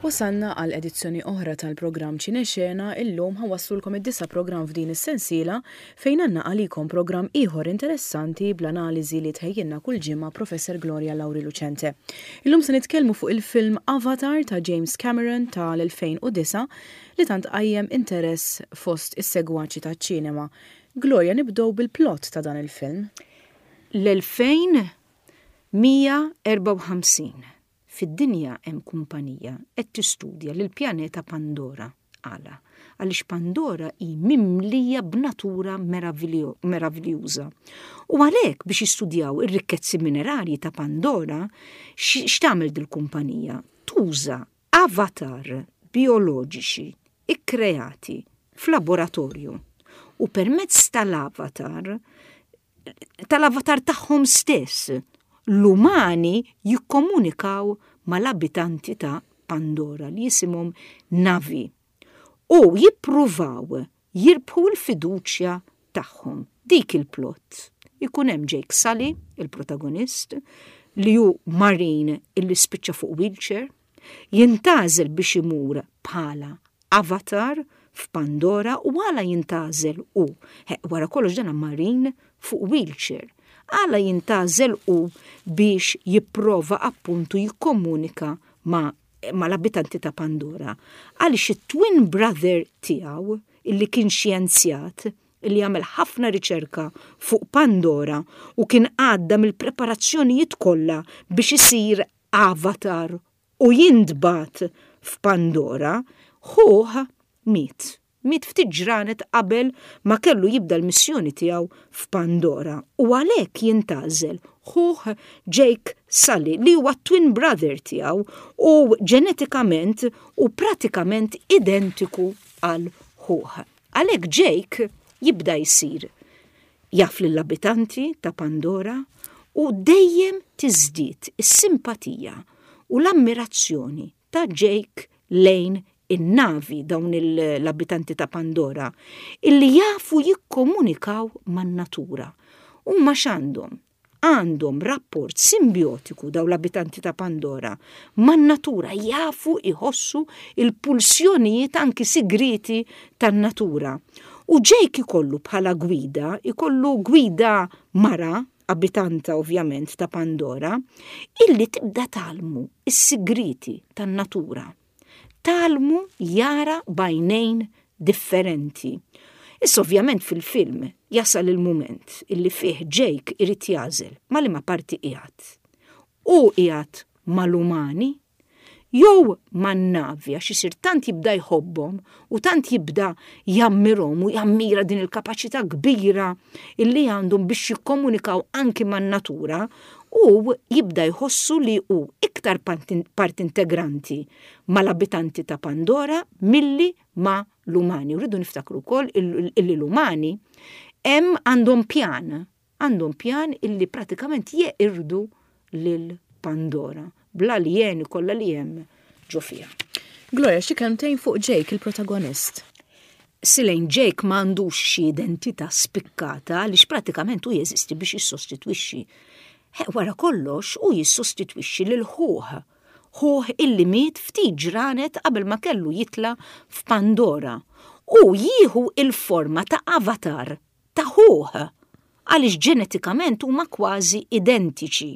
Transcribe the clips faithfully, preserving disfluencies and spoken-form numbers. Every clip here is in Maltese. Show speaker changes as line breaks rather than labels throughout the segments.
Wasalna għal edizzjoni oħra tal-programm Ċinexena. Illum ħa nwasslulkom id-disa' programm f'din is-sensiela, fejn għandna għalikom programm ieħor interessanti bl-analiżi li tħejjilna kull ġimgħa Professor Gloria Lauri Lucente. Illum se nitkellmu fuq il-film Avatar ta' James Cameron tal-elfejn u disgħa li tant qajjem interess fost is-segwaċi taċ-ċinema. Gloria, nibdew bil-plot ta' dan il-film.
L-elfejn u mija erbgħa u ħamsin fid-dinja hemm kumpanija qed tistudja lil pjaneta Pandora. Għala? Għaliex Pandora hi mimlija b'natura meraviljuża. U għalhekk, biex jistudjaw ir-rikkezzi minerarji ta' Pandora, x'tagħmel dil-kumpanija? Tuża avatar bioloġiċi ikkreati f'laboratorju u permezz tal-avatar tal-avatar tagħhom stess l-umani jikkomunikaw mal-abitanti ta' Pandora li jisimhom Na'vi u jippruvaw jirbħu l-fiduċja tagħhom. Dik il-plot. Ikun hemm Jake Sully, il-protagonist, li hu marine illi spiċċa fuq wheelchair, jintgħażel biex imur bħala avatar f'Pandora. U għala jintgħażel u? Wara kollox dana marine fuq wheelchair. Għala jintgħażel u biex jipprova appuntu jikkomunika ma' mal-abitanti ta' Pandora? Għaliex it-twin brother tiegħu, illi kien xjenzjat, illi għamel ħafna riċerka fuq Pandora u kien għadda mill-preparazzjonijiet kollha biex isir avatar u jintbagħat f'Pandora, ħuh miet. Miet ftit ġranet qabel ma kellu jibda l-missjoni tiegħu f'Pandora u għalhekk jintgħażel ħuh Jake Sully, li huwa twin brother tiegħu u ġenetikament u pratikament identiku għal ħuh. Għalhekk Jake jibda jsir jaf lill-abitanti ta' Pandora u dejjem tiżdied is-simpatija u l-ammirazzjoni ta' Jake lejn in-Na'vi, dawn l-abitanti ta' Pandora, illi jafu jikkomunikaw man-natura. U ma x'għandhom? Għandhom rapport simbiotiku dawn l-abitanti ta' Pandora man-natura, jafu iħossu il-pulsjonijiet anki sigriti tan-natura. U Jake ikollu bħala gwida, ikollu gwida mara, abitanta ovvjament ta' Pandora, illi tibda tgħallmu is-sigriti tan-natura. Tgħallmu jara b'għajnejn differenti. Issa ovvjament fil-film jasal il-moment illi fih Jake irid jagħżel ma' liema parti qiegħed. U qiegħed mal-umani jew man-Na'vi, għax isir tant jibda jħobbhom u tant jibda jammirhom u jammira din il-kapaċità kbira illi għandhom biex jikkomunikaw anki man-natura, u jibda jħossu li hu iktar part integranti mal-abitanti ta' Pandora milli ma' l-umani. U rridu niftakru wkoll illi l-umani hemm għandhom pjan, għandhom pjan illi pratikament jeqirdu lil Pandora bl-aljeni kollha li hemm ġo fiha.
Gloria, xi kelmtejn fuq Jake, il-protagonist.
Silejn, Jake m'għandux xi identità spikkata għaliex pratikament hu jeżisti biex jissostitwixxi. Wara kollox u jissostitwixxi lil ħuh. Ħuh illi miet ftit ġranet qabel ma kellu jitla f'Pandora. U jieħu il-forma ta' avatar ta' ħuh għaliex ġenetikament huma kważi identiċi.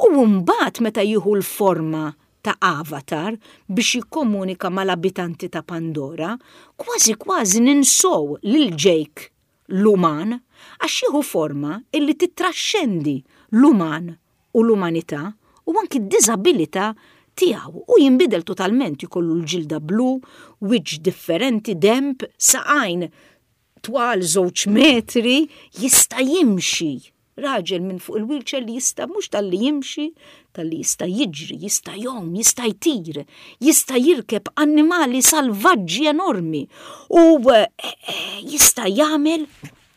U mbagħad meta jieħu l-forma ta' avatar biex jikkomunika mal-abitanti ta' Pandora, kważi kważi ninsow lil Jake l-uman, għax jieħu forma illi titraxxendi l-uman u l-umanità u anki d-diżabilità tiegħu, u jinbidel totalment, jkollu l-ġilda blu, wiċċ differenti, demp, saqajn twal żewġ metri, jista' jimxi. Raġel minn fuq il-wheelchair li jista' mhux talli jimxi, talli jista' jiġri, jista' jgħum, jista' jtir, jista' jirkeb annimali salvaġġi enormi u eh, eh, jista' jagħmel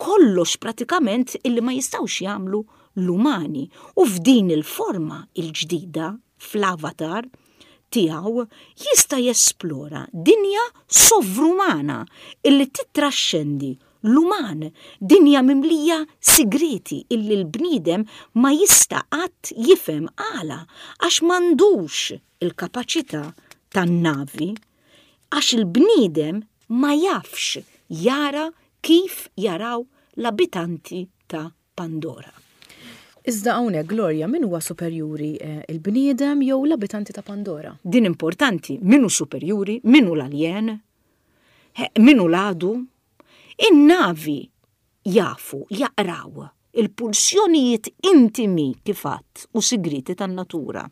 kollox pratikament illi ma jistgħux jagħmlu l-umani. U f'din il-forma il-ġdida, fl-avatar tiegħu, jista' jesplora dinja sovrumana illi titraxxendi l-uman, dinja mimlija sigriti illi l-bniedem ma jista' qatt jifhem. Għala? Għax m'għandux il-kapaċità tan-Na'vi, għax il-bniedem ma jafx jara kif jaraw l-abitanti ta' Pandora.
Iżda hawnhekk, Gloria, min huwa superjuri, eh, il-bniedem jew l-abitanti ta' Pandora?
Din importanti, min hu superjuri, min hu l-aljen, min hu l-għadu. In-Na'vi jafu, jaqraw il-pulsjonijiet intimi kif għedt u sigriti tan-natura.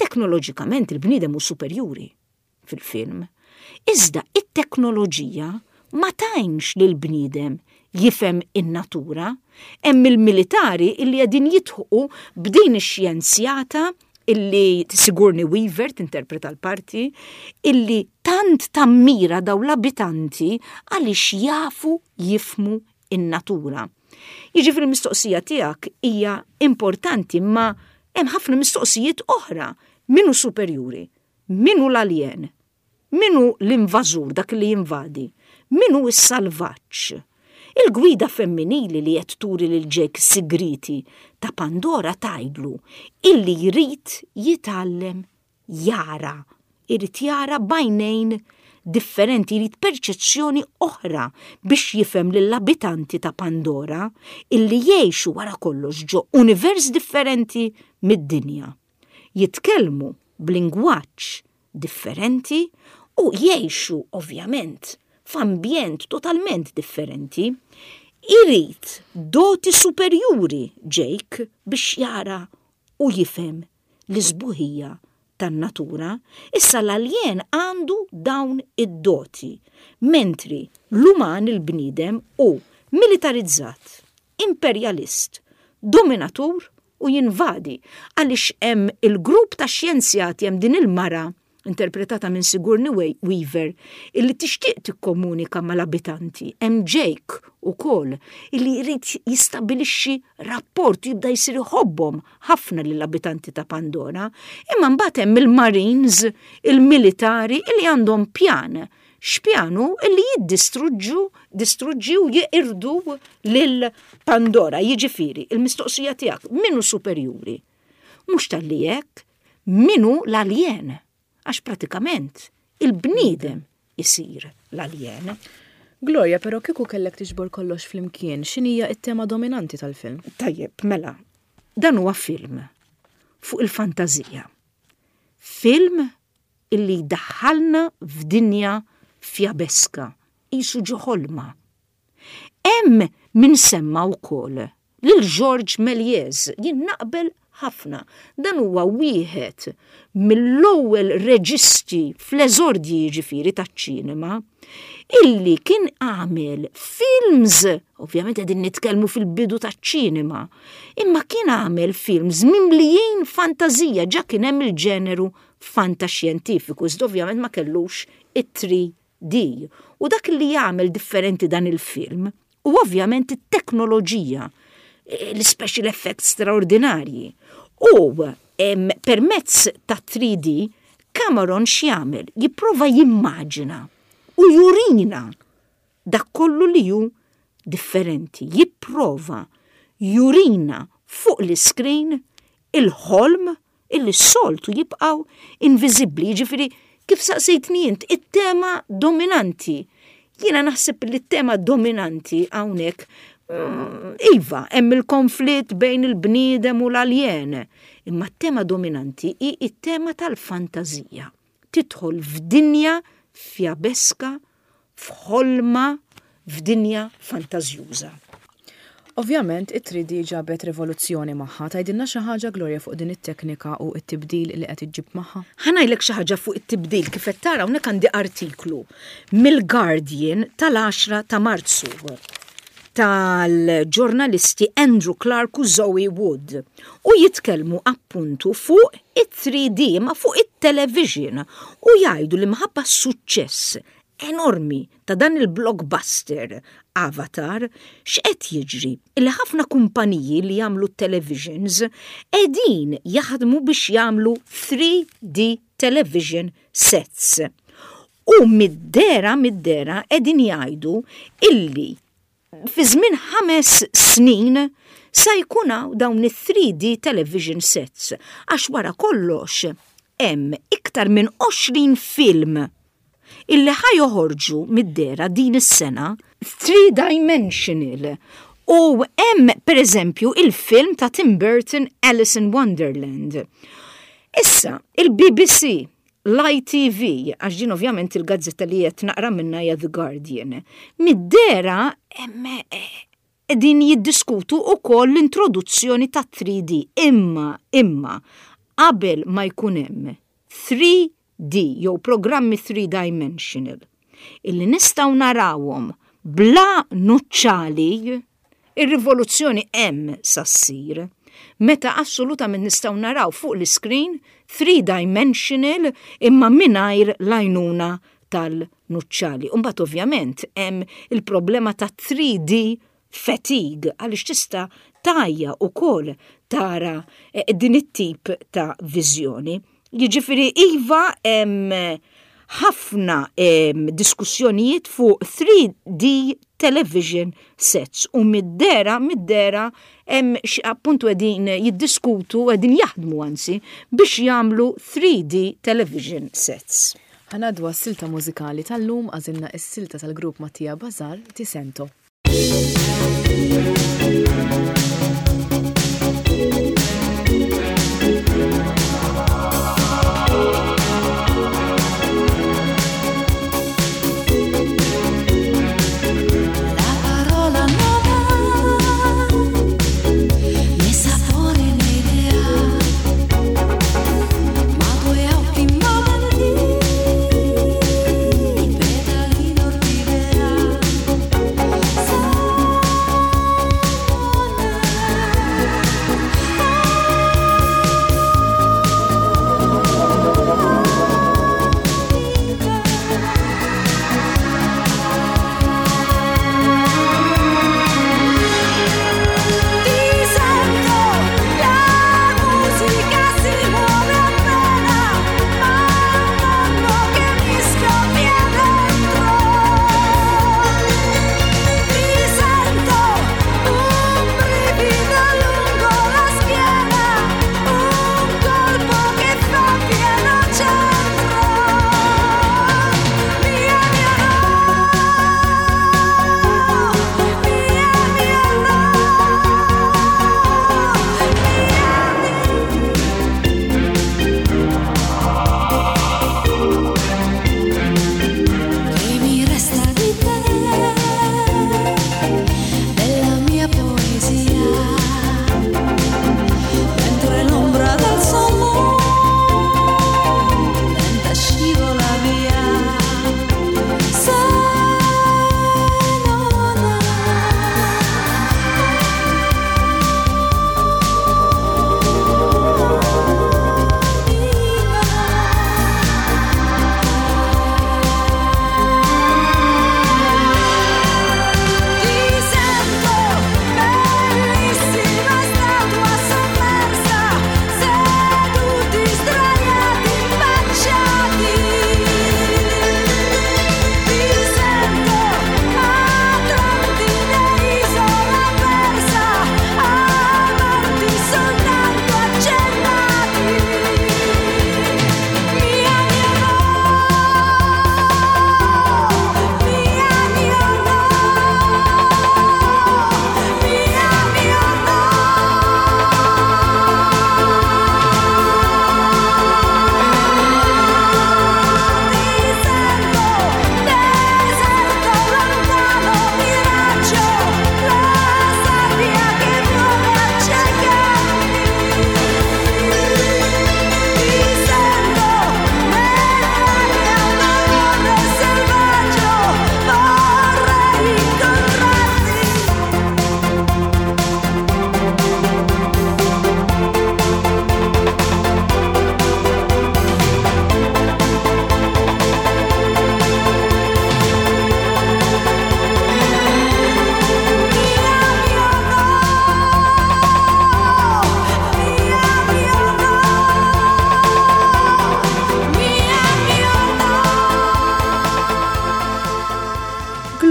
Teknoloġikament il-bniedem hu superjuri fil-film. Iżda it-teknoloġija ma tgħinx lil bniedem jifhem in-natura. Hemm il-militari illi qegħdin jidħqu b'din ix-xjenzjata illi Sigourney Weaver tinterpreta l-parti, illi tant tammira daw l-abitanti għaliex jafu jifhmu in-natura. Jiġifieri l-mistoqsija tiegħek hija importanti, ma hemm ħafna mistoqsijiet oħra. Min hu superjuri? Min hu l-aljen? Min hu l-invażur, dak li jinvadi? Min hu s-salvaġġ? Il-gwida femminili li qed turi lil Jake sigriti ta' Pandora tgħidlu illi jrid jitgħallem jara, irid jara b'għajnejn differenti, jrid perċezzjoni oħra biex jifhem lill-abitanti ta' Pandora illi jgħixu wara kollox ġo univers differenti mid-dinja. Jitkellmu b'lingwaġġ differenti u jgħixu ovvjament f'ambjent totalment differenti. Irid doti superjuri Jake biex jara u jifhem l-isbuħija tan-natura. Issa l-aljen għandu dawn id-doti, mentri l-uman, il-bniedem, hu militarizzat, imperjalist, dominatur u jinvadi, għaliex hemm il-grupp ta' xjenzjati, hemm din il-mara interpretata minn Sigourney Weaver illi tixtieq tikkomunika mal-abitanti. Hemm Jake ukoll illi jrid jistabilixxi rapport, jibda jsir iħobbhom ħafna lill-abitanti ta' Pandora, imma mbagħad hemm il-Marines, il-militari illi għandhom pjan. X'pjanu? Illi jiddistruġġu, distruġġi u jeqirdu lil Pandora. Jiġifieri, il-mistoqsija tiegħek, min hu superjuri? Mhux talli hekk, min hu l-aljen? Għax pratikament il-bniedem isir l-aljen.
Gloria, però kieku kellek tiġbor kollox flimkien, x'inhija it-tema dominanti tal-film?
Tajjeb, mela, dan huwa film fuq il-fantazija. Film illi daħħalna f'dinja fjabeska, qisu ġo ħolma. Hemm min semma wkoll lil George Méliès, jien naqbel ħafna. Dan huwa wieħed mill-ewwel reġisti fl-eżordji, jiġifieri, taċ-ċinema, illi kien għamel films, ovvjament qegħdin nitkellmu fil-bidu taċ-ċinema, imma kien għamel films mimlijin fantazija, ġa kien hemm il-ġeneru fantaxjentifiku, iżda ovvjament ma kellux it-three D. U dak li jagħmel differenti dan il-film u ovvjament it-teknoloġija, l-special effects straordinarji. U permezz ta' three D, Cameron x'jagħmel? Jipprova jimmaġina u jurina dak kollu li hu differenti. Jipprova jurina fuq l-screen il-ħolm illi s-soltu jibqaw inviżibbli. Ġifieri, kif saqsejtni int, it-tema dominanti. Jiena naħseb li t-tema dominanti hawnhekk mm, iva, hemm il-konflitt bejn il-bniedem u l-aljen. Imma t-tema dominanti hi it-tema tal-fantazija. Tidħol f'dinja fjabeska, f'ħolma, f'dinja fantażjuża.
Ovvjament, it-three D ġabet rivoluzzjoni magħha. Tgħidilna xi ħaġa, Gloria, fuq din it-teknika u t-tibdil li qed iġġib magħha?
Ħa ngħidlek xi ħaġa fuq it-tibdil. Kif qed tara hawnhekk, għandi artiklu mill-Guardian tal-għaxra ta' Marzu tal-ġurnalisti Andrew Clark u Zoe Wood u jitkellmu appuntu fuq it-three D ma fuq it-television u jgħidu li minħabba suċċess enormi ta' dan il-blockbuster Avatar, x'qed jiġri? Illi ħafna kumpaniji li jagħmlu televisions qegħdin jaħdmu biex jagħmlu three D television sets. U mid-dehra mid-dehra qegħdin jgħidu illi fi żmien ħames snin sa jkun hawn dawn it-three D television sets, għax wara kollox hemm iktar minn għoxrin film illi ħa joħorġu mid-dehra din is-sena three-dimensional. U hemm pereżempju il-film ta' Tim Burton, Alice in Wonderland. Issa, il-B B C, l-I T V, għax din ovvjament il-gazzetta li qed naqra minna hija The Guardian, mid-dehra hemm qegħdin jiddiskutu ukoll l-introduzzjoni ta' three D. Imma, imma, qabel ma jkun hemm three D jew programmi three dimensional illi nistgħu narawhom bla nuċċali, ir-rivoluzzjoni hemm sa ssir. Meta assolutament nistgħu naraw fuq l-screen three dimensional imma mingħajr l-għajnuna tal-nuċċali. Imbagħad ovvjament hemm il-problema ta' three D fatigue, għaliex tista' tgħajja ukoll tara eh, din it-tip ta' viżjoni. Jiġifieri iva, hemm ħafna em, diskussjonijiet fuq three D television sets u mid-dehra mid-dehra hemm xi appuntu qegħdin jiddiskutu, qegħdin jaħdmu anzi biex jagħmlu three D television sets.
Ħa ngħaddu għas-silta mużikali tal-lum. Għażilna s-silta tal-grupp Matia Bazar, Ti Sento.
La parola non ha né sapore né idea, ma due occhi immobili, petali d'orchidea.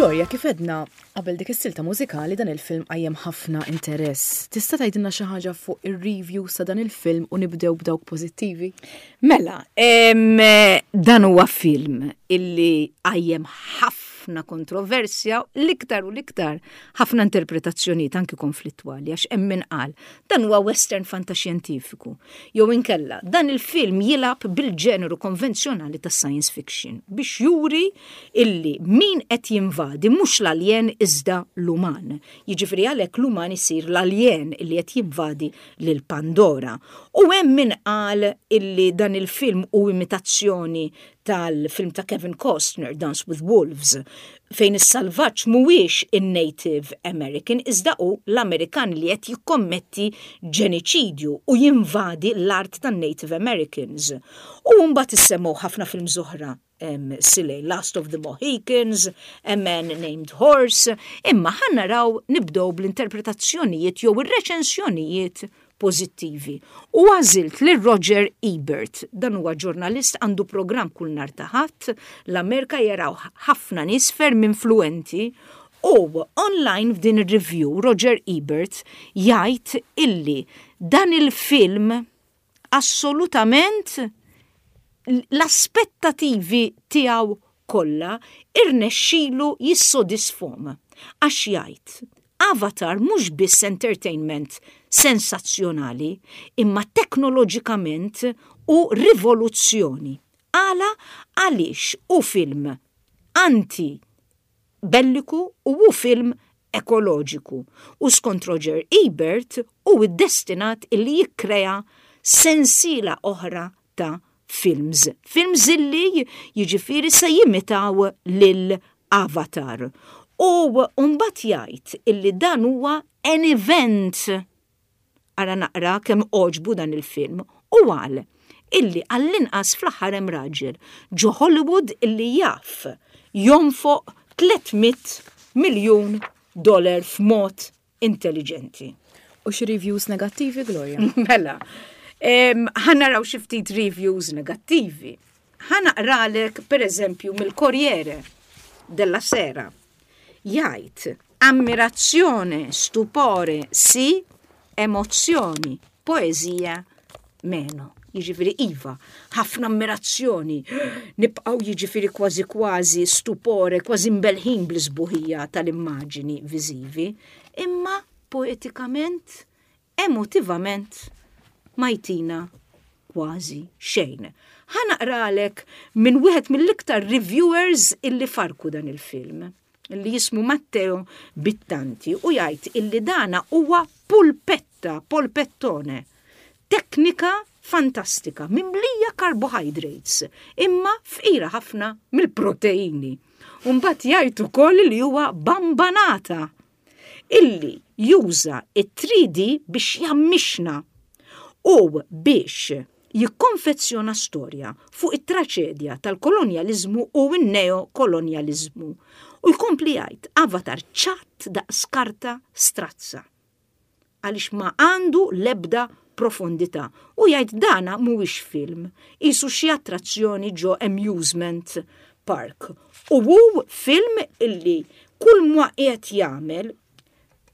Gloria, kif għedna qabel dik is-silta mużikali, dan il-film qajjem ħafna interess. Tista' tgħidilna xi ħaġa fuq ir-review sa dan il-film u nibdew b'dawk pożittivi?
Mela, em, dan huwa film illi qajjem ħafna kontroversja, l-iktar u l-iktar ħafna interpretazzjonijiet anki konflittwali, għax hemm min qal dan huwa western fantaxjentifiku. Jew inkella dan il-film jilgħab bil-ġeneru konvenzjonali tas science fiction biex juri illi min qed jinvadi mhux l-aljen iżda l-uman. Jiġifieri għalhekk l-uman isir l-aljen illi qed jinvadi lil Pandora. U hemm min qal illi dan il-film hu imitazzjoni tal-film ta' Kevin Costner, Dance with Wolves, fejn is-salvaġġ mhuwiex in-Native American iżda hu l-Amerikan li qed jikkommetti ġeniċidju u jinvadi l-art tan-Native Americans. U mbagħad issemmew ħafna films oħra um, silej, Last of the Mohicans, A Man Named Horse, imma ħa naraw nibdew bl-interpretazzjonijiet jew ir-reċensjonijiet pożittivi. U għażilt li Roger Ebert, dan huwa ġurnalist, għandu program kull nhar ta' Ħadd, l-Amerika, jaraw ħafna nies, ferm influenti, u online f'din ir-review Roger Ebert jgħid illi dan il-film assolutament l-aspettativi tiegħu kollha irnexxilu jissodisfahom. Għax jgħid, "Avatar mhux biss entertainment sensazzjonali, imma teknoloġikament hu rivoluzzjoni." Għala? Għaliex hu film anti belliku u hu film ekoloġiku. U skont Roger Ebert hu destinat illi jikkrea sensiela oħra ta' films. Films illi jiġifieri se jimitaw lil Avatar. U mbagħad jgħid illi dan huwa an event. Ara naqra kemm għoġbu dan il-film u qal illi għall-inqas fl-aħħar hemm raġel ġo Hollywood illi jaf jonfoq tliet mitt miljun dollar f'mod intelligenti.
U xi reviews negattivi, Gloria?
Mela, ħa naraw xi ftit reviews negattivi. Ħa naqralek, per eżempju, mill-Corriere della Sera. Jgħid, "Ammirazione, stupore, sì, emozioni, poesia, meno." Jiġifieri iva, ħafna ammirazzjoni, nibqgħu jiġifieri kważi kważi stupore, kważi mbelħin bl-isbuħija tal-immaġini viżivi, imma poetikament, emotivament, ma jtina kważi xejn. Ħa naqralek minn wieħed mill-iktar reviewers illi farku dan il-film, illi jismu Matteo Bittanti, u jgħid illi dana huwa pulpetta, polpettone, teknika fantastika, mimlija carbohydrates, imma fqira ħafna mill-proteini. Umbat jgħid ukoll li huwa bambanata illi juża it-three D biex jammixna u biex jikkonfezzjona storja fuq it-traċedja tal-kolonjalizmu u n-neokolonjalizmu. U jkompli jgħid, "Avatar ċatt daqs karta strazza għaliex ma għandu lebda profondità." U jgħid, "Dana mhuwiex film, qisu xi attrazzjoni ġo amusement park." U hu film illi kull ma qiegħed jagħmel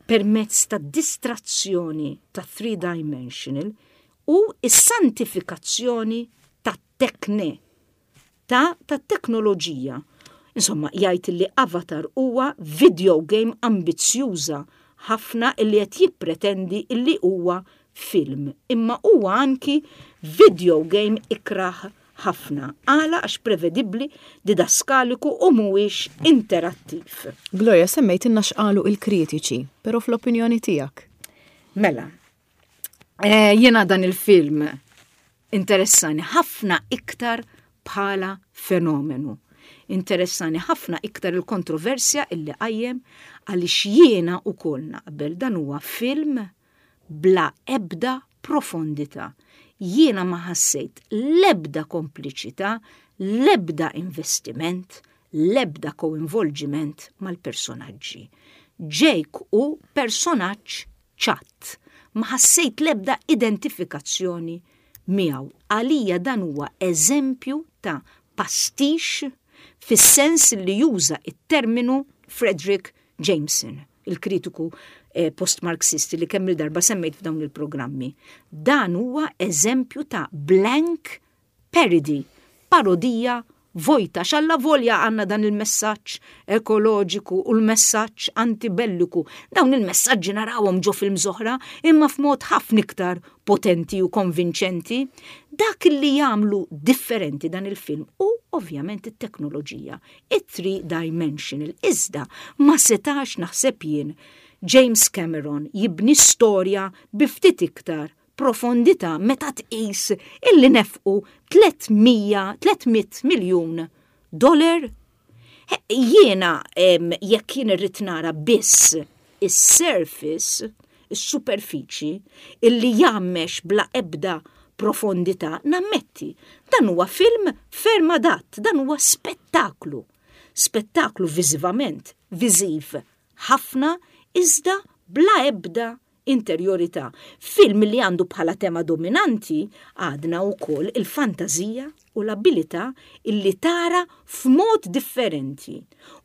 permezz ta' distrazzjoni ta' three dimensional u is-santifikazzjoni ta' tekne, ta' ta' teknoloġija. Insomma, jgħid li Avatar huwa video game ambizzjuża ħafna illi qed jippretendi illi huwa film, imma huwa anki video game ikrah ħafna. Għala? Għax prevedibbli, didaskaliku u mhuwiex interattiv.
Gloria, semmejtilna x'qalu il-kritiċi, però fl-opinjoni tiegħek?
Mela, eh, jiena dan il-film interessani ħafna iktar bħala fenomenu. Interessani ħafna iktar il-kontroversja illi qajjem, għaliex jiena ukoll naqbel, dan huwa film bla ebda profondità. Jiena ma ħassejt lebda kompliċità, lebda investiment, lebda koinvolġiment mal-personaġġi. Jake hu personaġġ ċatt. Ma ħassejt lebda identifikazzjoni miegħu. Għalija dan huwa eżempju ta' pastiche fis-sens li juża it-terminu Fredric Jameson, il-kritiku eh, post-marxisti li kemm il-darba semmejt f'dawn il-programmi. Dan huwa eżempju ta' blank parody, parodija vojta, xalla volja għandna dan il-messaġġ ekoloġiku u l-messaġġ antibelliku. Dawn il-messaġġi narawhom ġo films oħra, imma f'mod ħafna iktar potenti u konvinċenti. Dak li jagħmlu differenti dan il-film u ovvjament it-teknoloġija, it-three dimensional. Iżda ma setax, naħseb jien, James Cameron jibni storja bi ftit iktar profondità meta tqis illi nefqu tliet mija miljun dollar? Jiena jekk jien irrid nara biss is-surface, is-superfiċi, illi jgħammex bla ebda profondità, nammetti, dan huwa film ferm adatt, dan huwa spettaklu. Spettaklu viżivament, viżiv ħafna, iżda bla ebda interjorità. Film li għandu bħala tema dominanti għadna wkoll il-fantazija u l-abilità illi tara f'mod differenti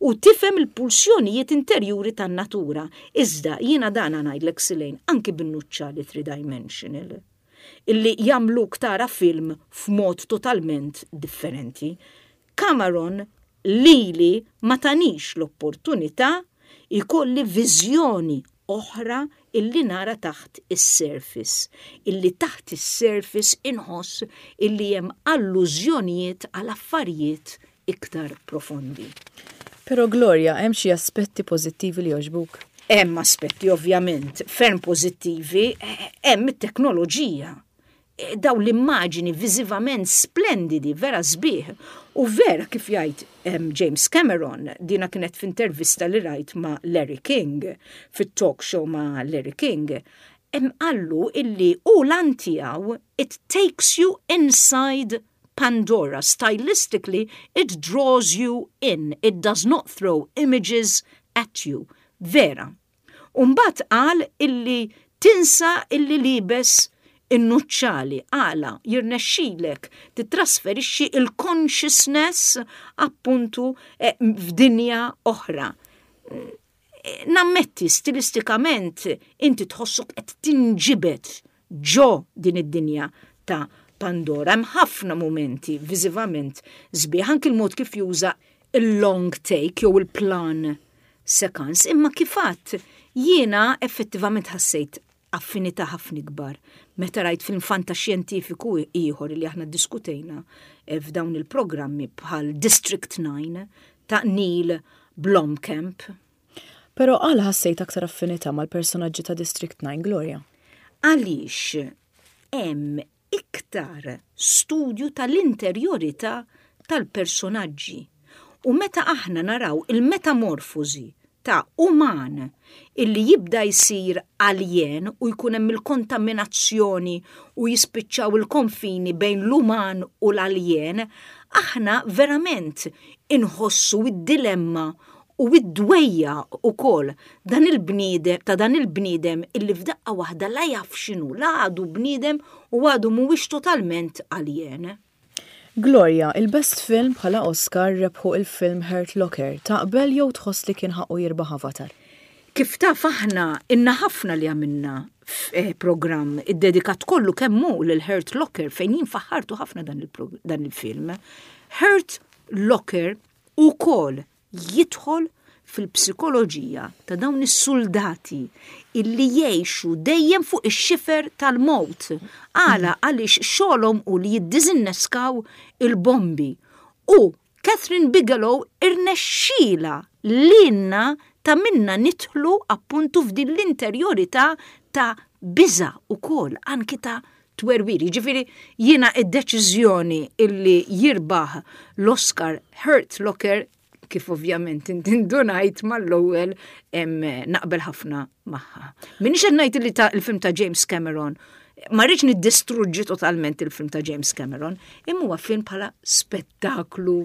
u tifhem il-pulsjonijiet interjuri tan-natura. Iżda jiena dana ngħidlek, Silejn, anki bin-nuċċali three-dimensional illi jagħmluk tara film f'mod totalment differenti. Cameron lili ma tanix l-opportunità ikolli viżjoni oħra illi nara taħt is-surface, illi taħt is-surface inħoss illi hemm allużjonijiet għal affarijiet iktar profondi.
Però Gloria, hemm xi aspetti pożittivi li jogħġbuk?
Hemm aspetti ovvjament ferm pożittivi, hemm it-teknoloġija. Daw l-immaġini viżivament splendidi, vera sbieħ. U vera kif jgħid James Cameron, dina kienet f'intervista li rajt ma' Larry King, fit-talk show ma' Larry King, hemm qallu illi u l tiegħu it takes you inside Pandora. Stylistically, it draws you in. It does not throw images at you. Vera. Umbat qal illi tinsa illi liebes in-nuċċali, għala jirnexxilek titrasferixxi il-consciousness appuntu eh, f'dinja oħra. Nammetti, stilistikament inti tħossok qed tinġibet ġo din id-dinja ta' Pandora. Hemm ħafna momenti viżivament sbieħ, anki l-mod kif juża il-long take jew il-plan sequence, imma kif għedt jiena effettivament ħassejt affinità ħafna ikbar meta rajt film fantaxjentifiku ieħor li aħna diskutejna eh, f'dawn il-programmi bħal District nine ta' Neil Blomkamp.
Però għala ħassejt aktar affinità mal-personaġġi ta' District nine, Gloria?
Għaliex hemm iktar studju tal-interjorità tal-personaġġi. U meta aħna naraw il-metamorfosi ta' uman illi jibda jsir alien u jkun hemm il-kontaminazzjoni u jispiċċaw il-konfini bejn l-uman u l-alien, aħna verament inħossu id-dilemma u id-dwejjaq ukoll dan il-bniedem ta' dan il-bniedem illi f'daqqa waħda la jaf x'inhu, la għadu bniedem u għadu mhuwiex totalment alien.
Gloria, il-best film bħala Oscar rebħu il-film Hurt Locker. Taqbel jew tħoss li kien ħaqqu jirbaħ Avatar?
Kif taf, aħna ilna ħafna li għamilna eh, program iddedikat kollu kemm hu lil Hurt Locker fejn jien faħħartu ħafna dan il-film. Hurt Locker ukoll jidħol fil-psikoloġija ta' dawn is-soldati illi jgħixu dejjem fuq ix-xifer tal-mowt. Għala? Għaliex xogħolhom u li jiddiżinneskaw il-bombi. U Kathryn Bigelow irnexxila lilna ta' minna nidħlu appuntu f'din l-interjorità ta' biża' ukoll anki ta' twerwir. Ġifieri jiena id-deċiżjoni illi jirbaħ l-Oscar Hurt Locker, kif ovvjament indunajt mal-ewwel, naqbel ħafna magħha. Minix qed ngħid li ta' il-film ta' James Cameron, ma rridx niddistruġġi totalment il-film ta' James Cameron, imma huwa film bħala spettaklu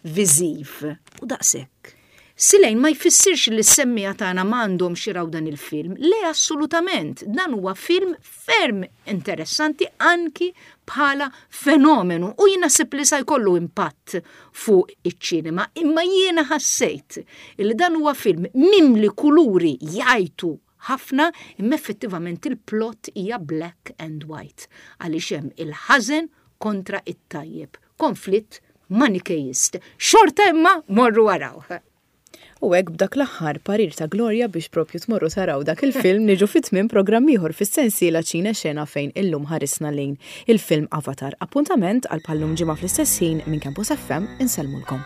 viżiv u daqshekk. Silejn ma jfissirx li s-semmiegħa tagħna m'għandhomx jaraw dan il-film. Le, assolutament, dan huwa film ferm interessanti anki bħala fenomenu u jiena naħseb li sa jkollu impatt fuq iċ-ċinema, imma jiena ħassejt li dan huwa film mimli kuluri jgħajtu ħafna, imma effettivament il-plot hija black and white għaliex hemm il-ħażen kontra it-tajjeb, konflitt manikeist. Xorta imma morru araw.
U hekk, b'dak l-aħħar parir ta' Gloria biex propju tmorru taraw dak il-film, niġu fit-tmiem programm ieħor fis-sensiela Ċine Xena, fejn illum ħarisna lejn il-film Avatar. Appuntament għal bħal-lum ġimgħa fl-istess ħin minn Campus F M. Insellmulkom.